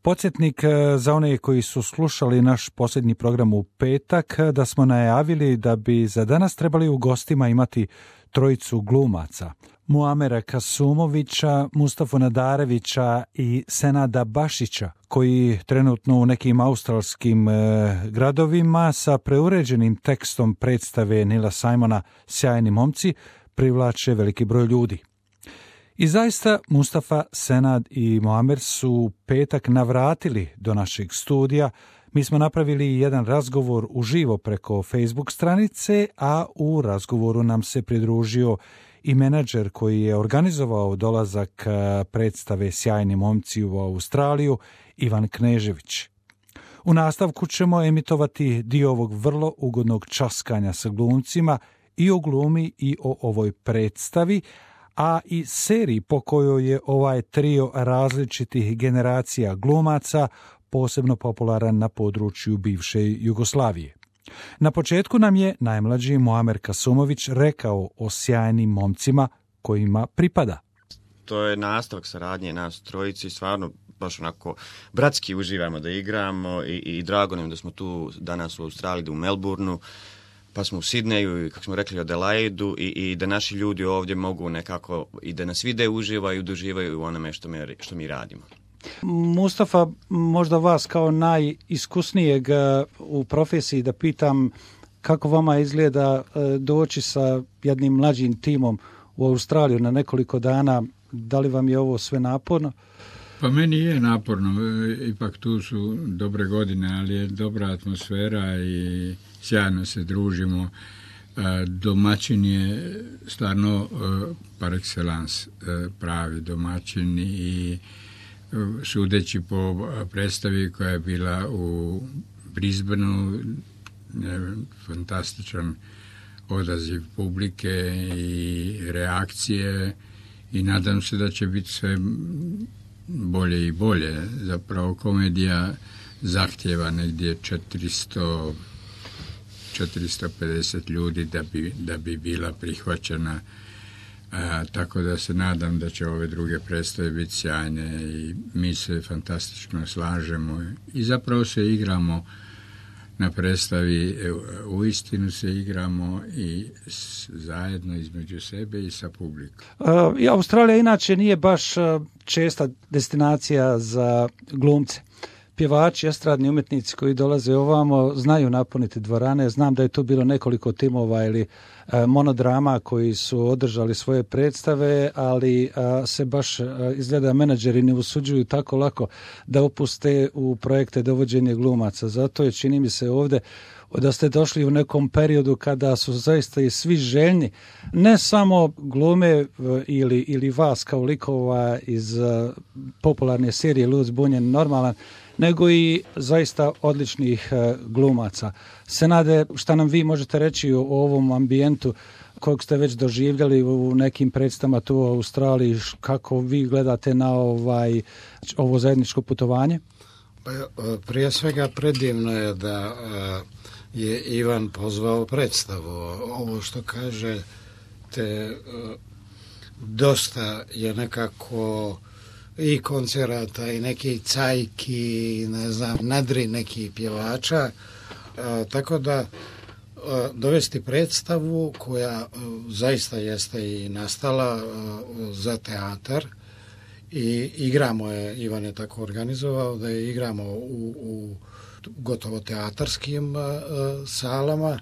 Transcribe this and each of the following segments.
Podsjetnik za one koji su slušali naš posljednji program u petak, da smo najavili da bi za danas trebali u gostima imati trojicu glumaca. Muamera Kasumovića, Mustafu Nadarevića i Senada Bašića, koji trenutno u nekim australskim gradovima sa preuređenim tekstom predstave Nila Simona Sjajni momci privlače veliki broj ljudi. I zaista Mustafa, Senad i Muamer su petak navratili do našeg studija. Mi smo napravili jedan razgovor uživo preko Facebook stranice, a u razgovoru nam se pridružio i menadžer koji je organizovao dolazak predstave Sjajni momci u Australiju, Ivan Knežević. U nastavku ćemo emitovati dio ovog vrlo ugodnog časkanja sa glumcima i o glumi i o ovoj predstavi, a i seriji po kojoj je ovaj trio različitih generacija glumaca posebno popularan na području bivše Jugoslavije. Na početku nam je najmlađi Muamer Kasumović rekao o Sjajnim momcima kojima pripada. To je nastavak saradnje nas trojici, stvarno baš onako bratski uživamo da igramo i drago nam da smo tu danas u Australiji, u Melbourneu, pa smo u Sidneju i kako smo rekli Adelaidu i da naši ljudi ovdje mogu nekako i da nas vide, uživaju i doživaju u onome što mi radimo. Mustafa, možda vas kao najiskusnijeg u profesiji da pitam kako vama izgleda doći sa jednim mlađim timom u Australiju na nekoliko dana, da li vam je ovo sve naporno? Pa meni je naporno, ipak tu su dobre godine, ali je dobra atmosfera i sjajno se družimo. Domaćin je stvarno par excellence pravi domaćin i sudeći po predstavi koja je bila u Brisbaneu, fantastičan odaziv publike i reakcije i nadam se da će biti sve bolje i bolje. Zapravo komedija zahtjeva negdje 450 ljudi da bi bila prihvaćena. Tako da se nadam da će ove druge predstave biti sjajne i mi se fantastično slažemo i zapravo se igramo na predstavi, uistinu se igramo i zajedno između sebe i sa publikom. Australija inače nije baš česta destinacija za glumce. Pjevači, estradni umjetnici koji dolaze ovamo znaju napuniti dvorane. Znam da je tu bilo nekoliko timova ili monodrama koji su održali svoje predstave, ali se baš izgleda menadžeri ne usuđuju tako lako da upuste u projekte dovođenje glumaca. Zato je, čini mi se ovdje, da ste došli u nekom periodu kada su zaista i svi željni, ne samo glume ili vas kao likova iz popularne serije Lud, zbunjen, normalan, nego i zaista odličnih glumaca. Senade, šta nam vi možete reći o ovom ambijentu kojeg ste već doživljali u nekim predstavama tu u Australiji, kako vi gledate na ovo zajedničko putovanje? Prije svega predivno je da je Ivan pozvao predstavu. Ovo što kaže te dosta je nekako i koncerata i neki cajki, ne znam, nadri neki pjevača, tako da dovesti predstavu koja zaista jeste i nastala za teatar i igramo je, Ivan je tako organizovao da je igramo u gotovo teatarskim salama.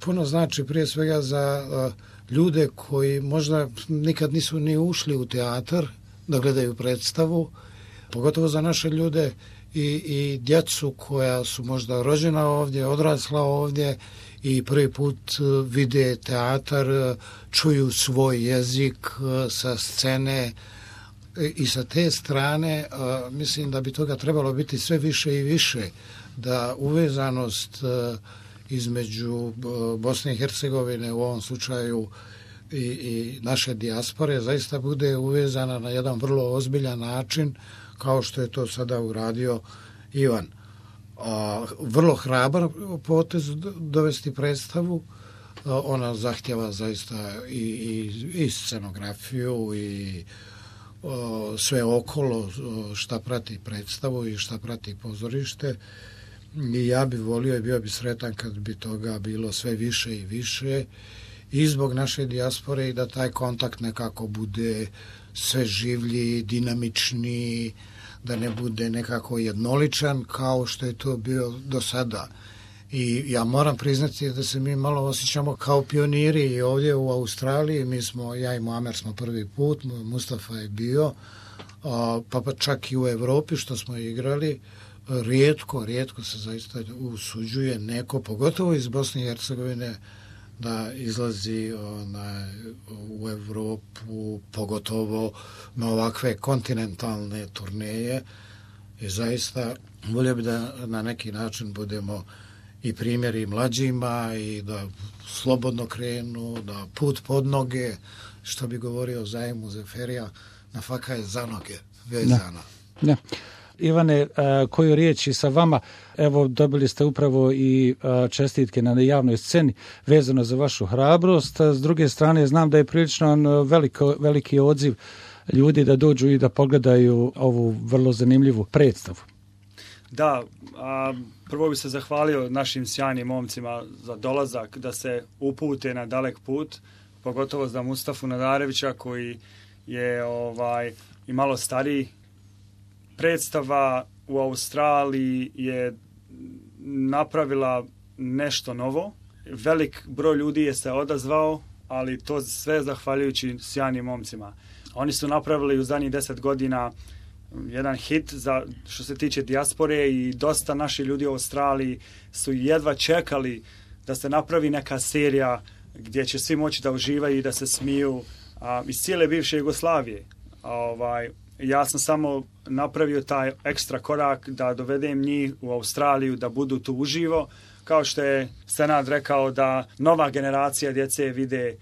Puno znači prije svega za ljude koji možda nikad nisu ni ušli u teatar da gledaju predstavu, pogotovo za naše ljude i djecu koja su možda rođena ovdje, odrasla ovdje i prvi put vide teatar, čuju svoj jezik sa scene i sa te strane mislim da bi toga trebalo biti sve više i više, da uvezanost između Bosne i Hercegovine u ovom slučaju i naše dijaspore zaista bude uvezana na jedan vrlo ozbiljan način, kao što je to sada uradio Ivan. Vrlo hrabar potez dovesti predstavu, ona zahtjeva zaista i scenografiju i sve okolo šta prati predstavu i šta prati pozorište. I ja bi volio i bio bi sretan kad bi toga bilo sve više i više i zbog naše dijaspore i da taj kontakt nekako bude sve življi, dinamični, da ne bude nekako jednoličan kao što je to bio do sada. I ja moram priznati da se mi malo osjećamo kao pioniri i ovdje u Australiji. Ja i Muamer smo prvi put, Mustafa je bio, pa čak i u Evropi što smo igrali. Rijetko se zaista usuđuje neko, pogotovo iz Bosne i Hercegovine, da izlazi u Evropu, pogotovo na ovakve kontinentalne turneje. I zaista volio bi da na neki način budemo i primjeri mlađima i da slobodno krenu, da put pod noge, što bi govorio Zajmu Zeferija, na faka je za noge vezana. Da. Ivane, koju riječi sa vama, evo dobili ste upravo i čestitke na javnoj sceni vezano za vašu hrabrost. S druge strane, znam da je prilično veliki odziv ljudi da dođu i da pogledaju ovu vrlo zanimljivu predstavu. Da, prvo bi se zahvalio našim sjajnim momcima za dolazak, da se upute na dalek put, pogotovo za Mustafu Nadarevića koji je i malo stariji. Predstava u Australiji je napravila nešto novo. Velik broj ljudi je se odazvao, ali to sve zahvaljujući sjajnim momcima. Oni su napravili u zadnjih 10 godina jedan hit što se tiče dijaspore i dosta naših ljudi u Australiji su jedva čekali da se napravi neka serija gdje će svi moći da uživaju i da se smiju iz cijele bivše Jugoslavije. Ja sam samo napravio taj ekstra korak da dovedem njih u Australiju da budu tu uživo, kao što je Senad rekao da nova generacija djece vide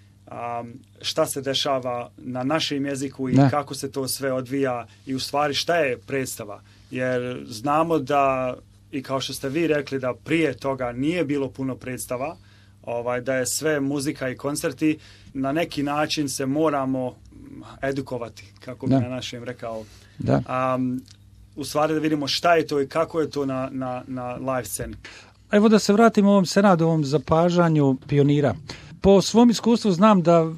šta se dešava na našem jeziku i kako se to sve odvija i u stvari šta je predstava. Jer znamo da, i kao što ste vi rekli, da prije toga nije bilo puno predstava, da je sve muzika i koncerti, na neki način se moramo edukovati, kako bi na našem rekao. U stvari da vidimo šta je to i kako je to na live sceni. Evo da se vratimo ovom Senadovom zapažanju pionira. Po svom iskustvu znam da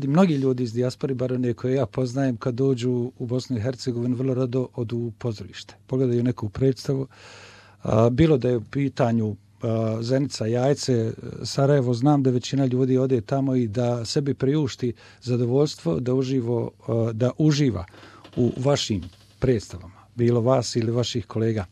mnogi ljudi iz dijaspore, bar one koje ja poznajem, kad dođu u Bosnu i Hercegovinu, vrlo rado odu u pozorište. Pogledaju neku predstavu. Bilo da je u pitanju Zenica, Jajce, Sarajevo, znam da većina ljudi ode tamo i da sebi priušti zadovoljstvo da uživa u vašim predstavama, bilo vas ili vaših kolega.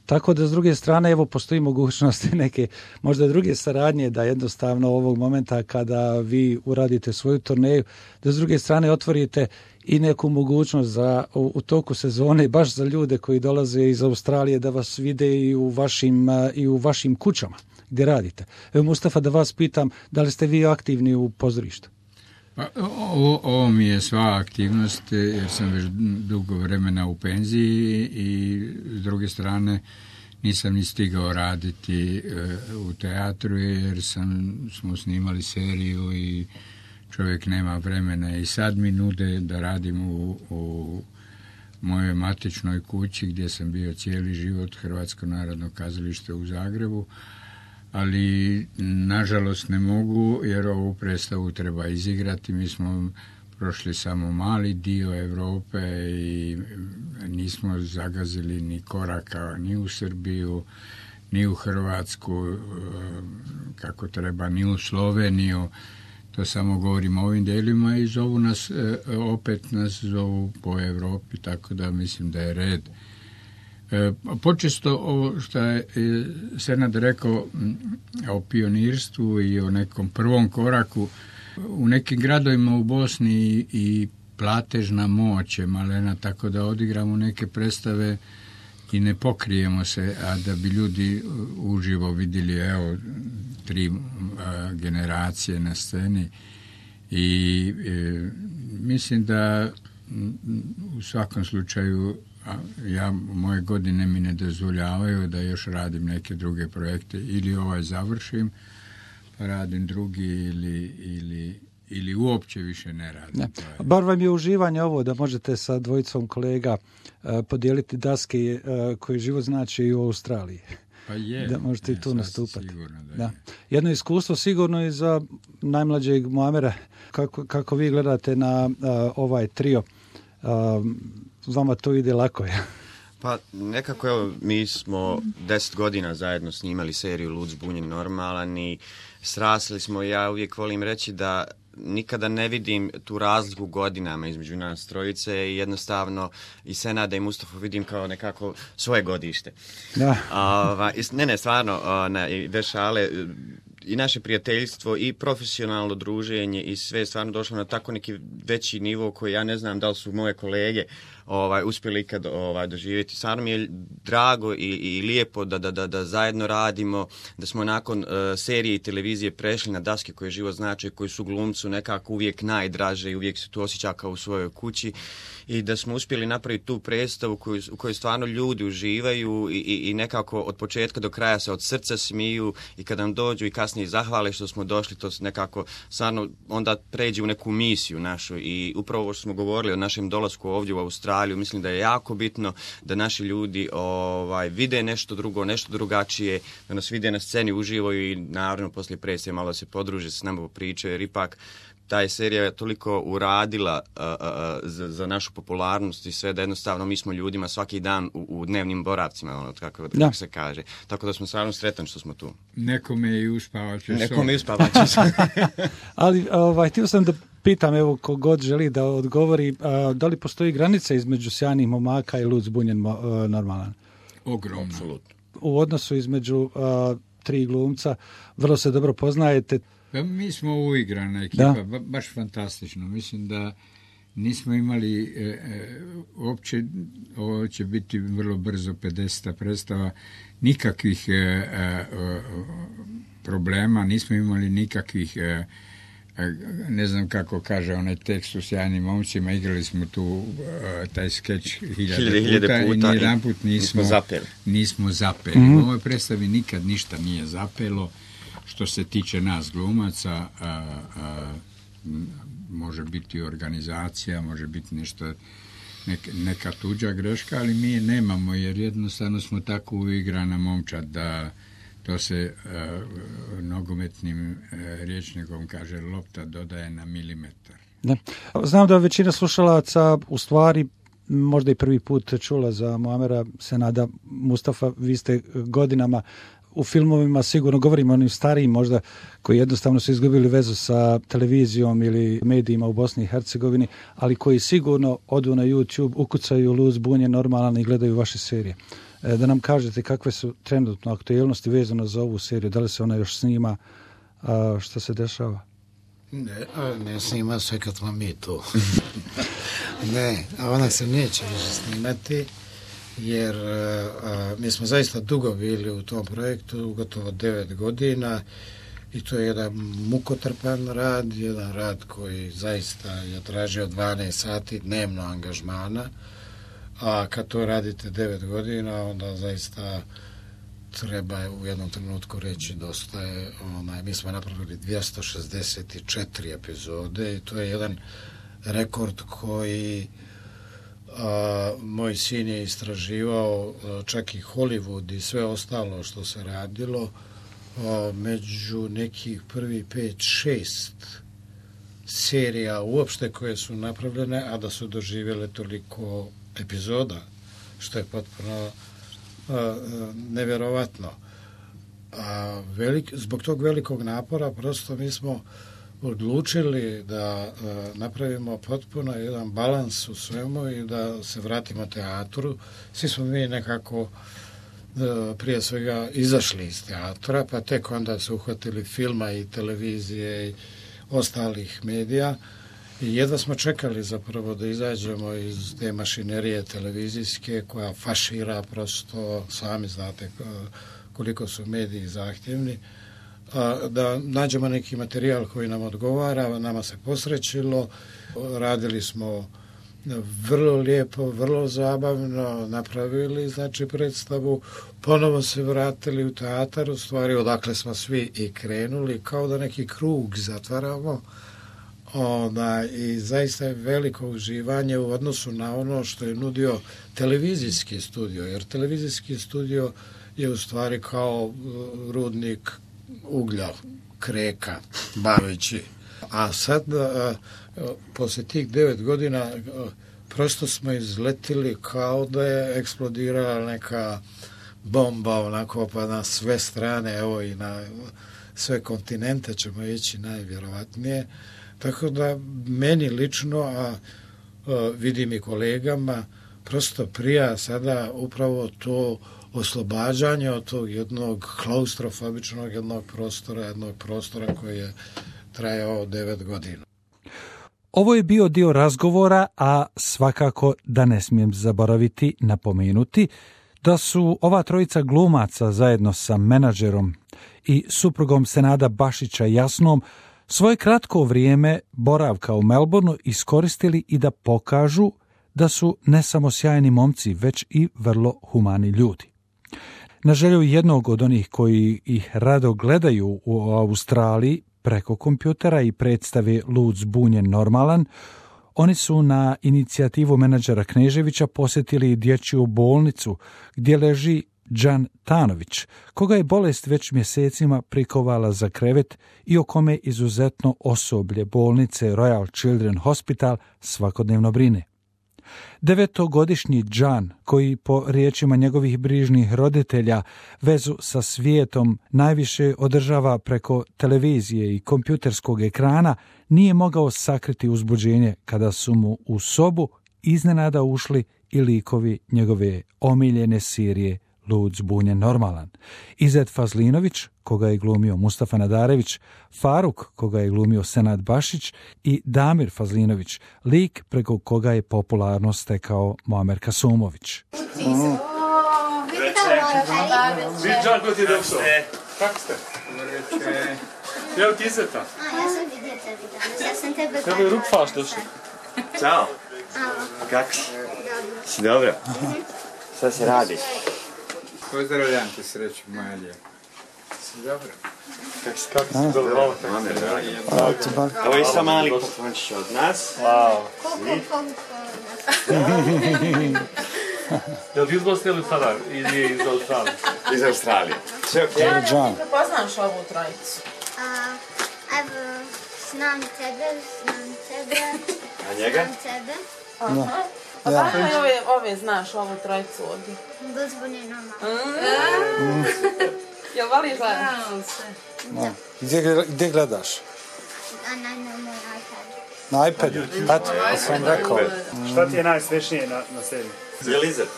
Tako da s druge strane, evo, postoji mogućnosti neke možda druge saradnje, da jednostavno ovog momenta kada vi uradite svoju turneju, da s druge strane otvorite i neku mogućnost u toku sezone baš za ljude koji dolaze iz Australije da vas vide i u vašim kućama gdje radite. Evo, Mustafa, da vas pitam, da li ste vi aktivni u pozorištu? Pa, ovo mi je sva aktivnost, jer sam već dugo vremena u penziji i s druge strane nisam ni stigao raditi u teatru jer smo snimali seriju i čovjek nema vremena. I sad mi nude da radim u mojoj matičnoj kući gdje sam bio cijeli život, Hrvatsko narodno kazalište u Zagrebu, ali nažalost ne mogu jer ovu predstavu treba izigrati. Mi smo prošli samo mali dio Europe i nismo zagazili ni koraka ni u Srbiju, ni u Hrvatsku kako treba, ni u Sloveniju. To samo govorim o ovim delima i opet nas zovu po Europi, tako da mislim da je red. Počesto ovo što je Senad rekao o pionirstvu i o nekom prvom koraku, u nekim gradovima u Bosni i platežna moć je malena, tako da odigramo neke predstave i ne pokrijemo se, a da bi ljudi uživo vidjeli, evo, 3 generacije na sceni i mislim da u svakom slučaju moje godine mi ne dozvoljavaju da još radim neke druge projekte, ili završim pa radim drugi ili uopće više ne radi. Ne. Bar vam je uživanje ovo da možete sa dvojicom kolega podijeliti daske koje život znači i u Australiji. Pa je. Da možete i tu nastupati. Sigurno da je. Jedno iskustvo sigurno i za najmlađeg Muamera. Kako vi gledate na ovaj trio? Vama to ide lako, je. Pa nekako, evo, mi smo 10 godina zajedno snimali seriju Lud, zbunjen, normalan i srasli smo. Ja uvijek volim reći da nikada ne vidim tu razliku godinama između nas trojice i jednostavno i Senada i Mustafa vidim kao nekako svoje godište. Da. Ne, stvarno, i bez šale, i naše prijateljstvo i profesionalno druženje i sve je stvarno došlo na tako neki veći nivo koji ja ne znam da li su moje kolege uspjeli ikad doživjeti. Stvarno mi je drago i lijepo da zajedno radimo, da smo nakon serije i televizije prešli na daske koje život znači, koji su glumcu nekako uvijek najdraže i uvijek se tu osjeća kao u svojoj kući i da smo uspjeli napraviti tu predstavu u kojoj stvarno ljudi uživaju i nekako od početka do kraja se od srca smiju i kad nam dođu i kasnije zahvale što smo došli, to se nekako stvarno onda pređe u neku misiju našu i upravo ovo što smo govorili o našem dolasku ovdje u Australiju, mislim da je jako bitno da naši ljudi vide nešto drugo, nešto drugačije, da nas vide na sceni, uživaju i naravno poslije predstave malo se podruže s nama pričaju, jer ipak ta je serija toliko uradila za našu popularnost i sve da jednostavno mi smo ljudima svaki dan u dnevnim boravcima, kako se kaže. Tako da smo stvarno sretan što smo tu. Nekome je i uspavaće. Ali htio sam da pitam, evo, kogod želi da odgovori, da li postoji granica između Sjajnih momaka i Lud, zbunjen, normalan? Ogromno. Apsolutno. U odnosu između tri glumca vrlo se dobro poznajete. Mi smo uigrana ekipa, baš fantastično. Mislim da nismo imali uopće, ovo će biti vrlo brzo 50. predstava, nikakvih problema, nismo imali nikakvih, ne znam kako kaže onaj tekst u Sjajnim momcima, igrali smo tu taj skeč hiljade puta i nijedanput nismo zapeli. U ovoj predstavi nikad ništa nije zapelo. Što se tiče nas glumaca, može biti organizacija, može biti nešto, neka tuđa greška, ali mi je nemamo, jer jednostavno smo tako uigrana momčad da to se nogometnim rječnikom kaže lopta dodaje na milimetar. Da. Znam da većina slušalaca u stvari možda i prvi put čula za Muamera Senada. Mustafa, vi ste godinama u filmovima, sigurno govorimo o onim starijim možda, koji jednostavno su izgubili vezu sa televizijom ili medijima u Bosni i Hercegovini, ali koji sigurno odu na YouTube, ukucaju Lud, zbunjen, normalan i gledaju vaše serije. Da nam kažete kakve su trenutno aktualnosti vezano za ovu seriju, da li se ona još snima, što se dešava? Ne snima se kad smo mi tu. Ne, a ona se neće više snimati, jer mi smo zaista dugo bili u tom projektu, gotovo 9 godina i to je jedan mukotrpan rad, jedan rad koji zaista je tražio 12 sati dnevno angažmana, a kad to radite 9 godina, onda zaista treba u jednom trenutku reći dosta je, mi smo napravili 264 epizode i to je jedan rekord koji moj sin je istraživao, čak i Hollywood i sve ostalo što se radilo, među nekih prvi 5-6 serija uopšte koje su napravljene, a da su doživjele toliko epizoda, što je potpuno nevjerovatno. Zbog tog velikog napora prosto mi smo odlučili da napravimo potpuno jedan balans u svemu i da se vratimo teatru. Svi smo mi nekako prije svega izašli iz teatra, pa tek onda se uhvatili filma i televizije i ostalih medija i jedva smo čekali zapravo da izađemo iz te mašinerije televizijske koja fašira prosto, sami znate koliko su mediji zahtjevni, da nađemo neki materijal koji nam odgovara. Nama se posrećilo, radili smo vrlo lijepo, vrlo zabavno, napravili predstavu, ponovo se vratili u teatar, u stvari odakle smo svi i krenuli, kao da neki krug zatvaramo, I zaista je veliko uživanje u odnosu na ono što je nudio televizijski studio, jer televizijski studio je u stvari kao rudnik uglja, kreka, baveći. A sad, poslije tih 9 godina, prosto smo izletili kao da je eksplodirala neka bomba, onako, pa na sve strane, evo i na sve kontinente ćemo ići najvjerovatnije. Tako da meni lično, a vidim i kolegama, prosto prija sada upravo to oslobađanje od tog jednog klaustrofobičnog jednog prostora koji je trajao 9 godina. Ovo je bio dio razgovora, a svakako da ne smijem zaboraviti napomenuti da su ova trojica glumaca zajedno sa menadžerom i suprugom Senada Bašića Jasnom svoje kratko vrijeme boravka u Melbourneu iskoristili i da pokažu da su ne samo sjajni momci, već i vrlo humani ljudi. Na želju jednog od onih koji ih rado gledaju u Australiji preko kompjutera i predstave Lud, zbunjen, normalan, oni su na inicijativu menadžera Kneževića posjetili dječju bolnicu gdje leži Đan Tanović, koga je bolest već mjesecima prikovala za krevet i o kome izuzetno osoblje bolnice Royal Children Hospital svakodnevno brine. 9-godišnji Đan, koji po riječima njegovih brižnih roditelja vezu sa svijetom najviše održava preko televizije i kompjuterskog ekrana, nije mogao sakriti uzbuđenje kada su mu u sobu iznenada ušli i likovi njegove omiljene serije Lud, zbunjen, normalan. Izet Fazlinović, koga je glumio Mustafa Nadarević, Faruk, koga je glumio Senad Bašić, i Damir Fazlinović, lik preko koga je popularno stekao Muamer Kasumović. Kako ste? Evo ti Izeta. Ja sam vidjeta. Ja sam tebe Kako je Rukfaš došli? Ćao. Kako si? Si dobro? Šta se radi? Pozdravljam te, sreću moja lijepa. Si dobro? Kako si dobro? Ovo je isto mali poklončić od nas. Wow. Jel ti izgostili sada ili iz Australije? Iz Australije. Sve ok. Ja ne prepoznaš ovu trojicu. Evo, znam tebe. A njega? Znam tebe. Aha. A kako ove znaš, ovu trojicu ovdje? Lud, zbunjen, normalan. Jel voliš gledati? Gdje gledaš? Na moj iPad. Na iPadu? Eto, ja sam rekao. Šta ti je najsmešnije na seriji? Je li Izet?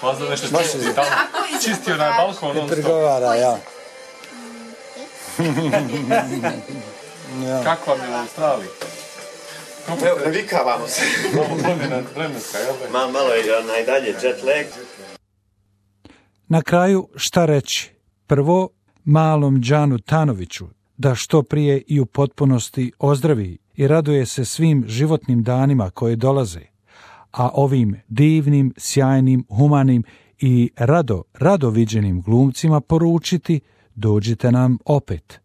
Pozna nešto čistio na balkon. I prigovara, ja. Kako vam je u Australiji? Evo, navikavamo se. Vremenska, jel da? Malo je najdalje jet lag. Na kraju šta reći? Prvo, malom Đanu Tanoviću da što prije i u potpunosti ozdravi i raduje se svim životnim danima koje dolaze, a ovim divnim, sjajnim, humanim i rado viđenim glumcima poručiti: dođite nam opet.